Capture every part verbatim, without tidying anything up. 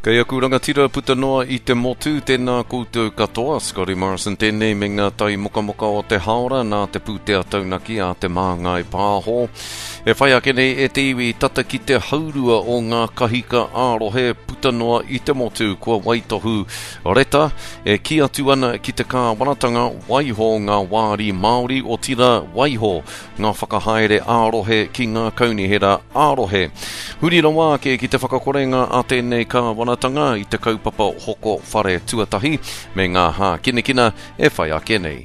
Kei aku rangatira puta noa i te motu, tēnā koutou katoa, Scotty Morrison tēnei me ngā tai mokamoka o te haora nā te pūtea taunaki a te Māngai Pāho. E whai ake nei e te iwi tata ki te haurua o ngā kahika ā-rohe puta noa i te motu kua waitohu reta e kī atu ana ki te kāwanatanga waiho ngā wāri Māori otirā waiho ngā whakahaere ā-rohe ki ngā kaunihera ā-rohe. Huri rawa ake ki te whakakorenga a tēnei kāwanatanga i te kaupapa hoko whare tuatahi me ngā hākinakina e whai ake nei.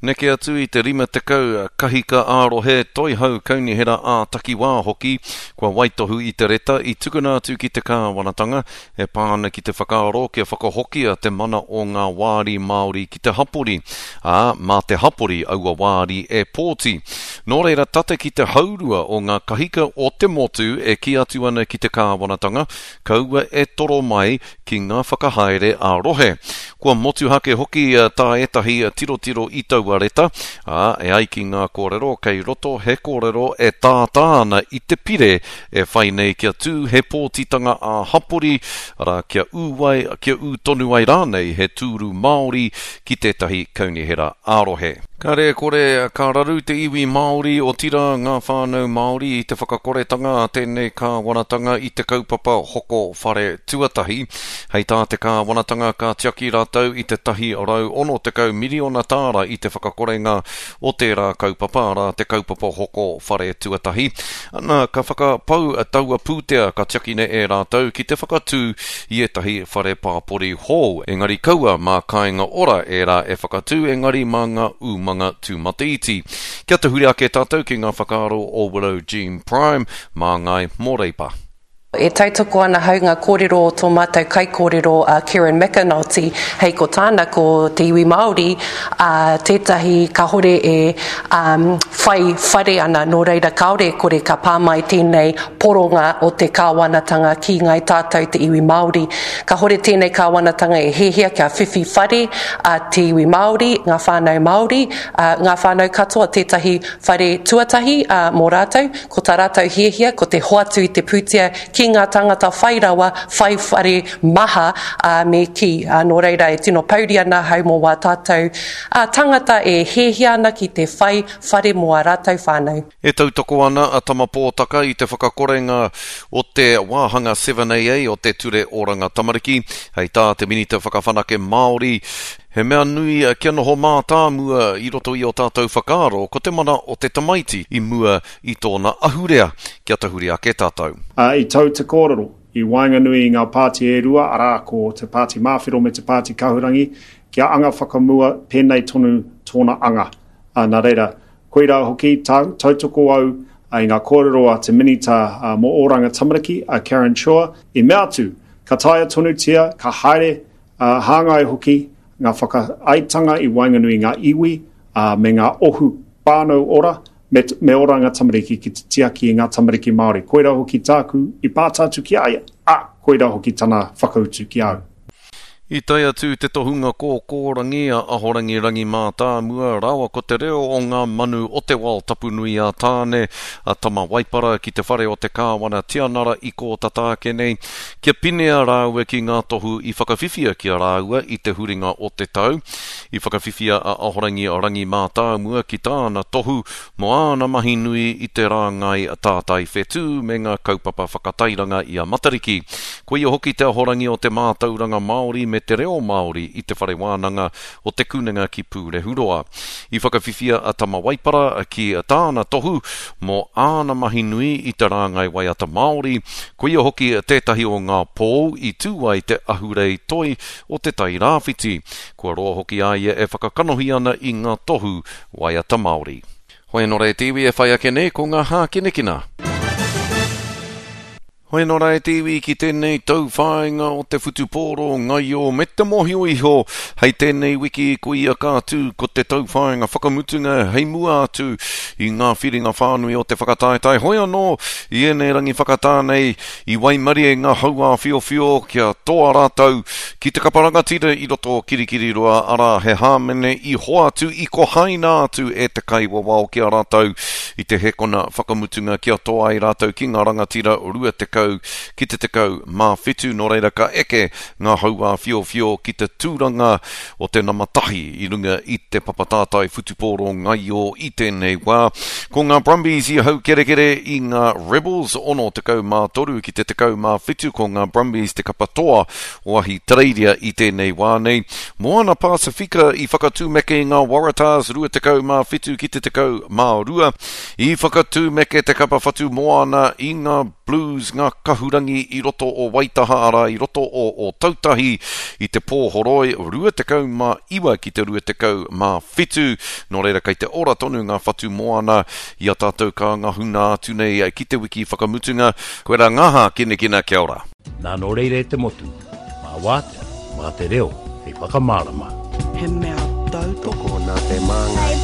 Neke atu i te rima tekau kahika ā-rohe toihau kaunihera ā-takiwā hoki kua waitohu i te reta i tukuna atu ki te kāwanatanga e pā ana ki te whakaaro kia whakahokia te mana o ngā wāri Māori ki te hapori, ā, mā te hapori aua wāri e pōti. Nō reira tata ki te haurua o ngā kahika o te motu e kī atu ana ki te kāwanatanga, kaua e toro mai ki ngā whakahaere ā-rohe. Kua motuhake hoki tā ētahi tirotiro i taua reta, ā, e ai ki ngā kōrero kei roto he kōrero e tātā ana i te pire e whai nei kia tū he pōtitanga ā-hapori, arā kia ū ai, kia ū tonu ai rānei he tūru Māori ki tētahi kaunihera ā-rohe. Kāre e kore ka raru te iwi Māori otirā ngā whānau Māori i te whakakoretanga a tēnei kāwanatanga i te kaupapa hoko whare tuatahi. Hei tā te kāwanatanga ka tiaki rātou i te tahi rau ono tekau miriona tāra i te whakakorenga o tērā kaupapa, arā te kaupapa hoko whare tuatahi. Ana, ka whakapau taua pūtea ka tiakina e rātou ki te whakatū i ētahi whare pāpori hou. Engari kaua mā Kāinga Ora ērā e whakatū, engari mā ngā umanga tūmataiti. Kia tahuri ake tātou ki ngā whakaaro o Willow Jean Prime, māngai mō Reipa. E tautoko ana hau ngā kōrero o tō mātou kaikōrero a Kieran McAnulty, hei ko tāna ko te iwi Māori, a, tētahi kāhore e um, whai whare ana, nō reira kāore e kore ka pā mai tēnei poronga o te kāwanatanga ki ngai tātou te iwi Māori. Kāhore tēnei kāwanatanga e hiahia kia whiwhi whare a te iwi Māori, ngā whānau Māori, a, ngā whānau katoa tētahi whare tuatahi a, mō rātou, ko tā rātou hiahia ko te hoatu i te pūtea ki ngā tangata whai rawa, whai whare maha, ā, me kī. Ā, nō reira e tino pouri ana ahau mō wā tātou ā, tangata e hiahia ana ki te whai whare mō ā rātou whānau. E tautoko ana a Tama Pōtaka i te whakakorenga o te wāhanga seven A A o te Ture Oranga Tamariki, hei tā te Minita Whakawhanake Māori, he mea nui kia noho mātāmua i roto i o tātou whakaaro ko te mana o te tamaiti i mua i tōna ahurea, kia tahuri ake tātou. Uh, i tau te kōrero i waenganui i ngā pāti e rua, arā ko te pāti Māwhero me te pāti Kahurangi, kia anga whakamua pēnei tonu tōna anga. Uh, nā reira, koirā hoki tā, tautoko au i ngā kōrero a te Minita uh, mō Oranga Tamariki, a Karen Chhoa, i mea atu, ka taea tonutia, ka haere, uh, hāngai hoki, ngā whakaaetanga i waenganui ngā iwi, uh, me ngā ohu whānau ora, me, me Oranga Tamariki ki te tiaki i ngā tamariki Māori. Koirā hoki tāku i pātā atu ki a ia, a koirā hoki tana whakautu ki au. I tae atu te tohunga kōkōrangi a Ahorangi Rangi Mātāmua rāua ko te reo o ngā manu o te wao tapunui a Tāne, a Tama Waipara ki te whare o te Kāwana Tianara i kōtata ake nei, kia pinea rāua ki ngā tohu i whakawhiwhia ki a rāua i te huringa o te tau. I whakawhiwhia a Ahorangi Rangi Mātāmua ki tāna tohu mō āna mahi nui i te rāngai tātai whetū me ngā kaupapa whakatairanga i a Matariki. Koia hoki te ahorangi o te mātauranga Māori me te reo Māori i te whare wānanga o te Kunenga ki Pūrehuroa. I whakawhiwhia a Tama Waipara ki tāna tohu mō āna mahi nui i te rāngai waiata Māori, koia hoki tētahi o ngā pōu i tū ai te ahurei toi o te Tai Rāwhiti. Kua roa hoki a ia e whakakanohi ana i ngā tohu waiata Māori. Hoi anō rā e te iwi e whai ake nei ko ngā hākinakina. Hoi anō rā e te iwi ki tēnei tauwhāinga o te whutupōro ngaio me te mōhio iho hei tēnei wiki ko ia ka tū ko te tauwhāinga whakamutunga hei mua atu i ngā whiringa whānui o te whakataetae. Hoi anō i ēnei rangi whakatā nei i waimarie ngā hauāwhiowhio kia toa rātou ki te kapa rangatira i roto o Kirikiriroa, arā he hāmene i hoatu i kohaina atu e te kaiwawao ki a rātou i te hekona whakamutunga kia toa ai rātou ki ngā rangatira rua tekau tekau ki te tekau mā whitu. Nō reira ka eke ngā hauā whiowhio ki te tūranga o te nama tahi i runga i te papatātai whutupōro ngaio i tēnei wā. Ko ngā Brumbies i haukerekere i ngā Rebels ono tekau mā toru ki te tekau mā whitu. Ko ngā Brumbies te kapa toa o Ahitereiria i tēnei wā nei. Moana Pasifika i whakatūmeke i ngā Waratahs rua tekau mā whitu ki te tekau mā rua. I whakatūmeke te kapa whatu moana i ngā Blues, ngā kahurangi i roto o Waitaha, arā i roto o Ōtautahi i te pōhoroi rua tekau mā iwa ki te rua tekau mā whitu. Nō reira kei te ora tonu ngā whatu moana i a tātou ka ngahuna atu nei ki te wiki whakamutunga. Koe rā ngā hākinakina, kia ora. Nā nō reira e te motu, mā wātea, mā te reo, hei whakamārama. He mea tautoko nā te māngai.